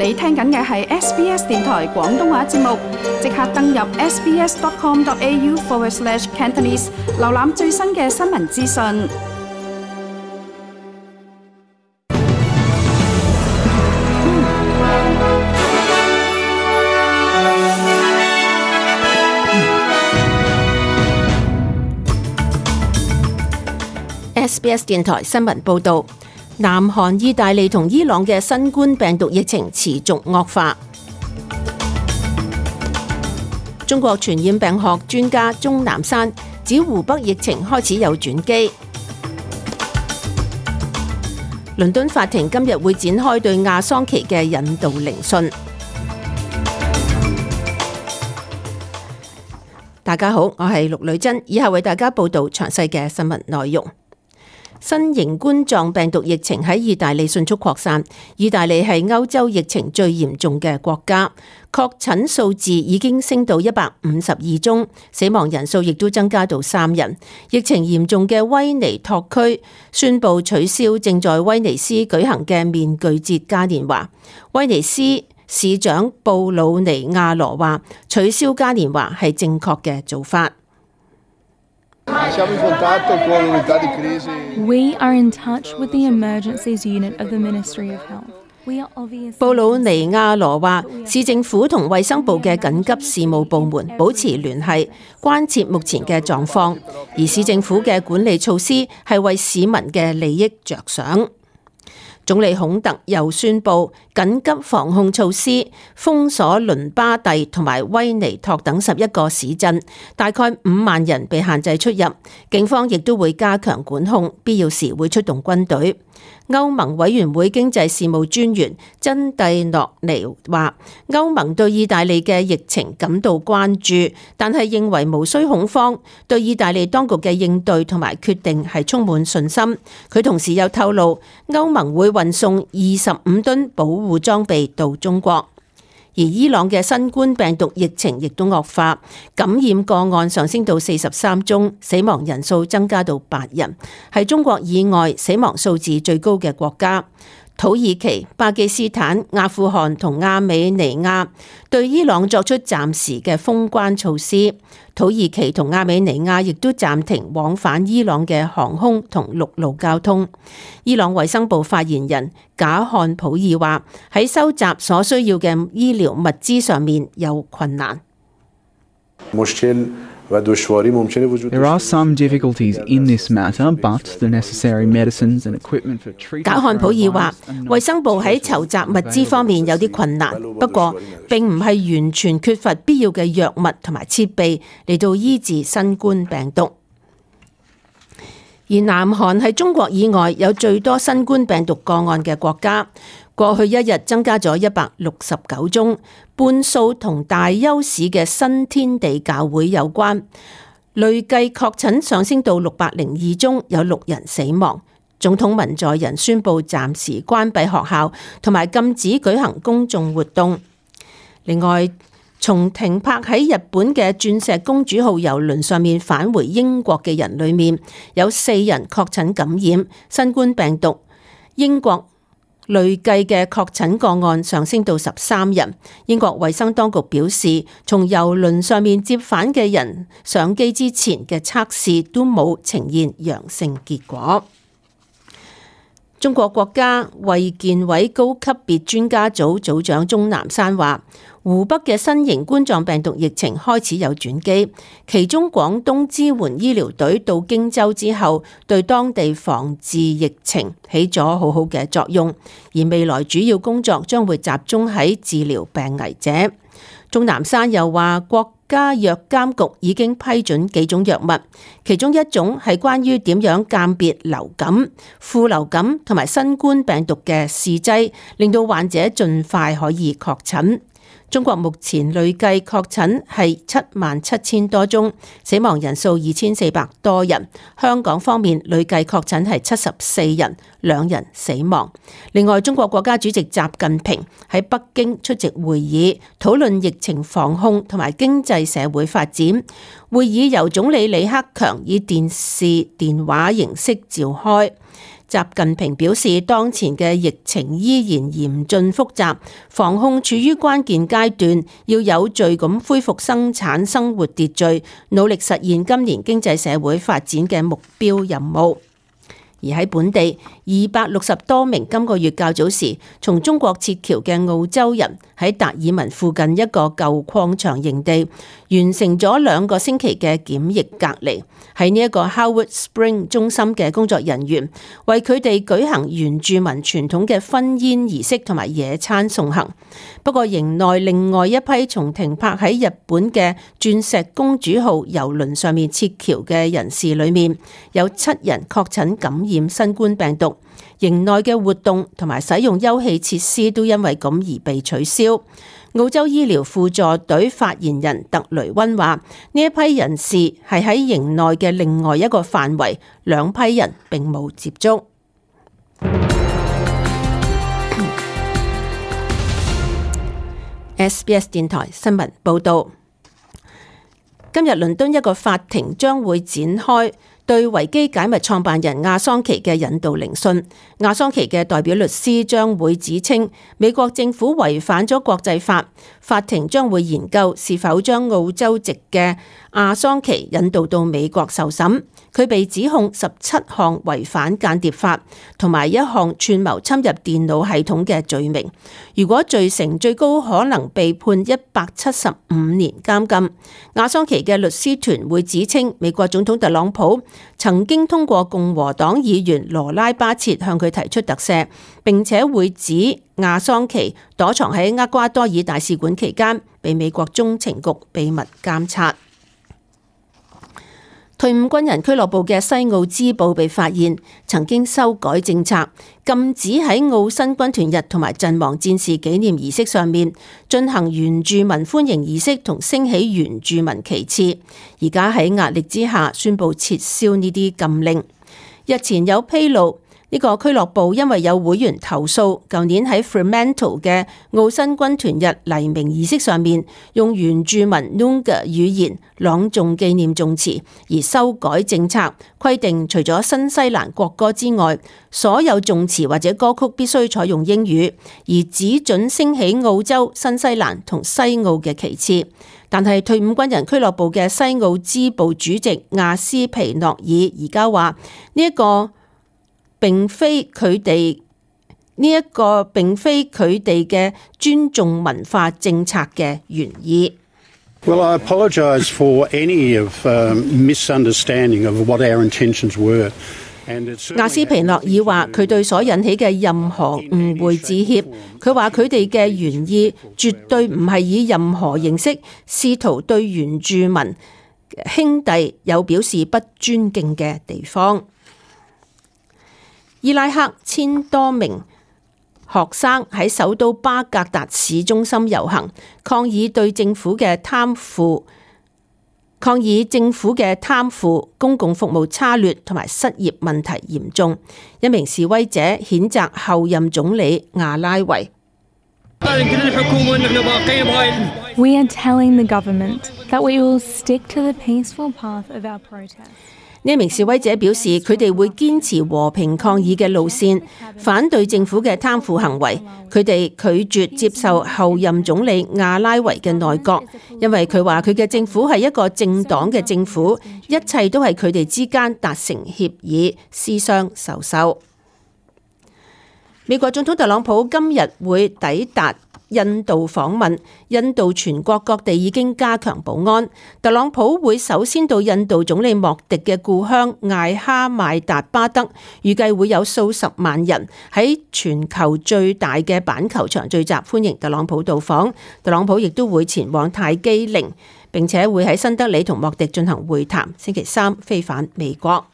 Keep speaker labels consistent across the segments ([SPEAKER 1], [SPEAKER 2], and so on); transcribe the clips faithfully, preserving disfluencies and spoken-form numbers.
[SPEAKER 1] 你聽緊嘅係 S B S 電台廣東話節目，即刻登入 sbs.com.au forward slash Cantonese， 瀏覽最新嘅新聞資訊。
[SPEAKER 2] S B S 電台新聞報道。南韓、意大利同伊朗嘅新冠病毒疫情持續惡化。中國傳染病學專家鍾南山指湖北疫情開始有轉機。倫敦法庭今日會展開對亞桑奇嘅引渡聆訊。大家好，我係陸女珍，以下為大家報道詳細嘅新聞內容。新型冠狀病毒疫情喺意大利迅速擴散，意大利係歐洲疫情最嚴重嘅國家，確診數字已經升到一百五十二宗，死亡人數亦都增加到三人。疫情嚴重嘅威尼托區宣布取消正在威尼斯舉行嘅面具節嘉年華。威尼斯市長布魯尼亞羅話，取消嘉年華係正確嘅做法。
[SPEAKER 3] We are in touch with the emergencies unit of the Ministry of Health. We are obviously...
[SPEAKER 2] 布魯尼亞羅話，市政府同衛生部嘅緊急事務部門保持聯繫，關切目前嘅狀況，而市政府嘅管理措施係為市民嘅利益着想。總理孔特又宣布緊急防控措施，封鎖倫巴第同埋威尼托等十一個市鎮，大概五萬人被限制出入。警方亦都會加強管控，必要時會出動軍隊。歐盟委員會經濟事務專員珍蒂諾尼話，歐盟對意大利嘅疫情感到關注，但係認為無需恐慌，對意大利當局嘅應對同埋決定係充滿信心。佢同時又透露，歐盟會運送二十五噸保護裝備到中國。而伊朗嘅新冠病毒疫情亦都惡化，感染個案上升到四十三宗，死亡人數增加到八人，係中國以外死亡數字最高嘅國家。土耳其、巴基斯坦、阿富汗同亞美尼亞對伊朗作出暫時嘅封關措施，土耳其同亞美尼亞亦都暫停往返伊朗嘅航空同陸路交通。伊朗衛生部發言人賈漢普爾話，喺收集所需要嘅醫療物資上面有困難。
[SPEAKER 4] There are some difficulties in this matter, but the necessary medicines and equipment for treatment.
[SPEAKER 2] 賈漢普爾話，衛生部喺籌集物資方面有啲困難，不過並唔係完全缺乏必要嘅藥物同埋設備嚟到醫治新冠病毒。而南韓係中國以外有最多新冠病毒個案嘅國家，過去一日增加咗一百六十九宗，半數同大邱市嘅新天地教會有關。累計確診上升到六百零二宗，有六人死亡。總統文在寅宣布暫時關閉學校，同埋禁止舉行公眾活動。另外，從停泊喺日本嘅鑽石公主號郵輪上面返回英國嘅人裏面，有四人確診感染新冠病毒。英國累計嘅確診個案上升到十三人。英國衛生當局表示，從郵輪上面接返嘅人上機之前嘅測試都冇呈現陽性結果。中國國家衛健委高級別專家組組長鍾南山話，湖北嘅新型冠狀病毒疫情開始有轉機，其中廣東支援醫療隊到荊州之後，對當地防治疫情起咗好好嘅作用，而未來主要工作將會集中喺治療病危者。鍾南山又話，國家藥監局已經批准幾種藥物，其中一種係關於點樣鑑別流感、副流感同埋新冠病毒嘅試劑，令到患者盡快可以確診。中國目前累計確診係七萬七千多宗，死亡人數二千四百多人。香港方面累計確診係七十四人，兩人死亡。另外，中國國家主席習近平喺北京出席會議，討論疫情防控同埋經濟社會發展。會議由總理李克強以電視電話形式召開。習近平表示，當前嘅疫情依然嚴峻複雜，防控處於關鍵階段，要有序咁恢復生產生活秩序，努力實現今年經濟社會發展嘅目標任務。而喺本地，二百六十多名今個月較早時從中國撤僑嘅澳洲人喺達爾文附近一個舊礦場營地完成咗兩個星期嘅檢疫隔離。喺呢一個 Howard Spring 中心嘅工作人員為佢哋舉行原住民傳統嘅婚宴儀式同埋野餐送行。不過營內另外一批從停泊喺日本嘅鑽石公主號郵輪上面撤僑嘅人士裏面，有七人確診感染新冠病毒。營內嘅活動同埋使用休憩設施都因為咁而被取消。澳洲醫療輔助隊發言人特雷溫話：呢一批人士係喺營內嘅另外一個範圍，兩批人並冇接觸。S B S 電台新聞報道，今日倫敦一個法庭將會展開對維基解密創辦人亞桑奇嘅引渡聆訊。亞桑奇嘅代表律師將會指稱美國政府違反咗國際法，法庭將會研究是否將澳洲籍嘅亞桑奇引渡到美國受審。佢被指控十七項違反間諜法同埋一項串謀侵入電腦系統嘅罪名。如果罪成，最高可能被判一百七十五年監禁。亞桑奇嘅律師團會指稱美國總統特朗普曾經通過共和黨議員羅拉巴切向佢提出特赦，並且會指亞桑奇躲藏喺厄瓜多爾大使館期間被美國中情局秘密監察。退伍軍人俱樂部嘅西澳支部被發現曾經修改政策，禁止喺澳新軍團日同埋陣亡戰士紀念儀式上面進行原住民歡迎儀式同升起原住民旗幟，而家喺壓力之下宣布撤銷呢啲禁令。日前有披露，呢個俱樂部因為有會員投訴，舊年喺 Fremantle 嘅澳新軍團日黎明儀式上面用原住民 Noongar 語言朗誦紀念頌詞，而修改政策，規定除咗新西蘭國歌之外，所有頌詞或者歌曲必須採用英語，而只准升起澳洲、新西蘭同西澳嘅旗幟。但係退伍軍人俱樂部嘅西澳支部主席亞斯皮諾爾而家話呢一個並非佢哋呢一個並非佢哋嘅尊重文化政策嘅原意。
[SPEAKER 5] Well, I apologize for any of misunderstanding of what our intentions were.
[SPEAKER 2] 亞斯皮諾爾話：佢對所引起嘅任何誤會致歉。佢話佢哋嘅原意絕對唔係以任何形式試圖對原住民兄弟有表示不尊敬嘅地方。伊拉克千多名學生喺首都巴格達市中心遊行，抗議對政府嘅貪腐、抗議政府嘅貪腐、公共服務差劣同埋失業問題嚴重。一名示威者譴責後任總理亞拉維。
[SPEAKER 3] We are telling the government that we will stick to the peaceful path of our protest.
[SPEAKER 2] 呢名示威者表示，佢哋會堅持和平抗議嘅路線，反對政府嘅貪腐行為。佢哋拒絕接受後任總理亞拉維嘅內閣，因為佢話佢嘅政府係一個政黨嘅政府，一切都係佢哋之間達成協議，私相授受。美國總統特朗普今日會抵達印度訪問，印度全國各地已經加強保安。特朗普會首先到印度總理莫迪嘅故鄉艾哈邁達巴德，預計會有數十萬人喺全球最大嘅板球場聚集歡迎特朗普到訪。特朗普亦都會前往泰姬陵，並且會喺新德里同莫迪進行會談，星期三飛返美國。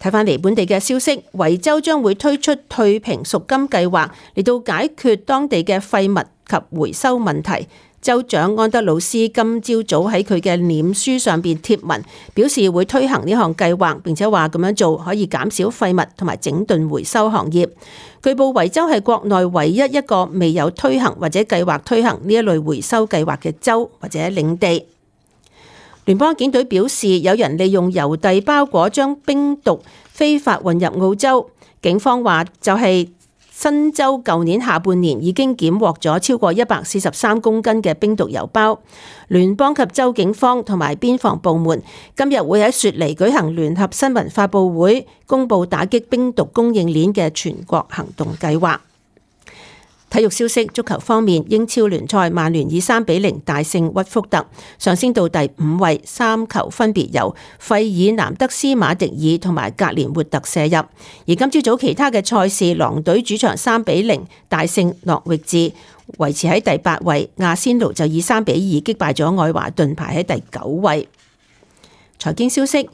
[SPEAKER 2] 睇返嚟本地嘅消息，維州將會推出退平贖金計劃嚟到解決當地嘅廢物及回收問題。州長安德魯斯今朝早喺佢嘅臉書上邊貼文，表示會推行呢項計劃，並且話咁樣做可以減少廢物同埋整頓回收行業。據報維州係國內唯一一個未有推行或者計劃推行呢一類回收計劃嘅州或者領地。聯邦警隊表示，有人利用郵遞包裹將冰毒非法運入澳洲。警方話就係新州舊年下半年已經檢獲咗超過一百四十三公斤嘅冰毒郵包。聯邦及州警方同埋邊防部門今日會喺雪梨舉行聯合新聞發佈會，公佈打擊冰毒供應鏈嘅全國行動計劃。體育消息，足球方面，英超聯賽曼聯以三比零大勝屈福特，上升到第五位，三球分別由費爾南德斯馬迪爾同埋格連活特射入。而今朝早其他嘅賽事，狼隊主場三比零大勝諾域治，維持喺第八位。亞仙奴就以三比二擊敗咗愛華頓，排喺第九位。財經消息。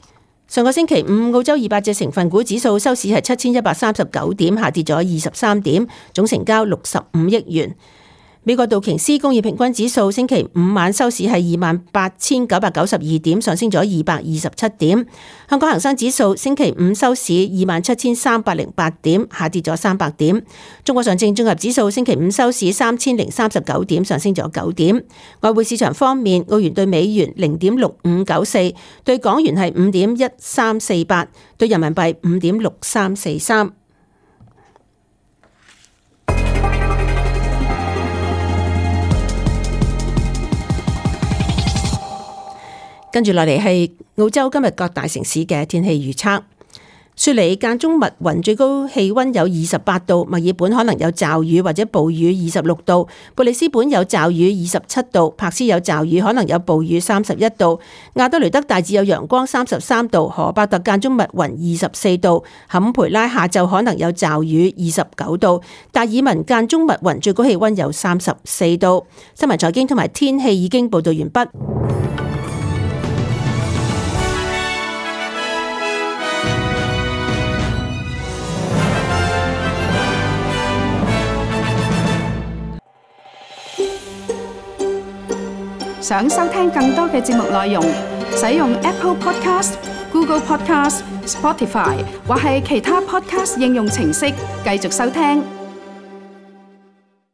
[SPEAKER 2] 上個星期五，澳洲二百隻成分股指數收市係七千一百三十九點，下跌咗二十三點，總成交六十五億元。美國道瓊斯工業平均指數星期五晚收市係二萬八千九百九十二點，上升咗二百二十七點。香港恒生指數星期五收市二萬七千三百零八點，下跌咗三百點。中國上證綜合指數星期五收市三千零三十九點，上升咗九點。外匯市場方面，澳元對美元零點六五九四，對港元係五點一三四八，對人民幣五點六三四三。跟住落嚟係澳洲今日各大城市嘅天氣預測。雪梨間中密雲，最高氣溫有二十八度；墨爾本可能有驟雨或者暴雨，二十六度；布里斯本有驟雨，二十七度；柏斯有驟雨，可能有暴雨，三十一度；亞德雷德大致有陽光，三十三度；荷伯特間中密雲，二十四度；坎培拉下晝可能有驟雨，二十九度；達爾文間中密雲，最高氣溫有三十四度。新聞財經同埋天氣已經報道完畢。
[SPEAKER 1] 想收聽更多嘅節目內容，使用 Apple Podcast、Google Podcast、Spotify 或係其他 Podcast 應用程式繼續收聽。